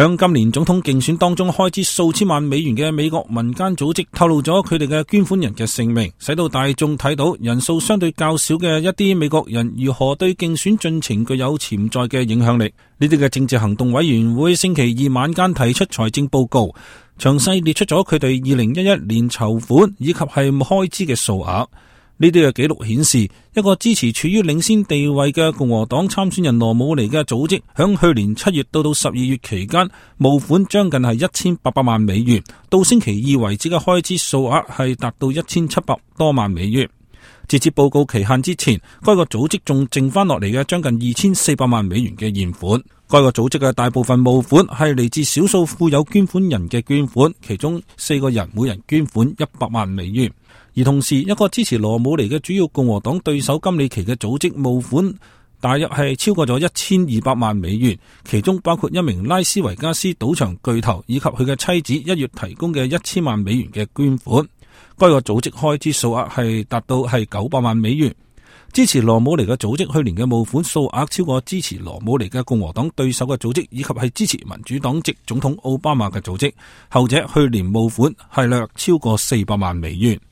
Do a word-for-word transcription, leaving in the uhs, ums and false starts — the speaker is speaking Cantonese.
響今年總統競選當中開支數千萬美元嘅美國民間組織透露咗佢哋嘅捐款人嘅姓名，使到大眾睇到人數相對較少嘅一啲美國人如何對競選進程具有潛在嘅影響力。呢啲嘅政治行動委員會星期二晚間提出財政報告，詳細列出咗佢哋二零一一年籌款以及係開支嘅數額。呢啲嘅記錄顯示，一個支持處於領先地位嘅共和黨參選人羅姆尼嘅組織，響去年七月到到十二月期間，募款將近係一千八百萬美元，到星期二為止嘅開支數額係達到一千七百多萬美元。截至報告期限之前，該個組織仲剩翻落嚟嘅將近二千四百萬美元嘅現款。該個組織嘅大部分募款係嚟自少數富有捐款人嘅捐款，其中四個人每人捐款一百萬美元。而同時，一個支持羅姆尼嘅主要共和黨對手金里奇嘅組織募款大約係超過咗一千二百萬美元，其中包括一名拉斯維加斯賭場巨頭以及佢嘅妻子一月提供嘅一千萬美元嘅捐款。該個組織開支數額係達到係九百萬美元。支持羅姆尼嘅組織去年嘅募款數額超過支持羅姆尼嘅共和黨對手嘅組織，以及係支持民主黨籍總統奧巴馬嘅組織，後者去年募款係略超過四百萬美元。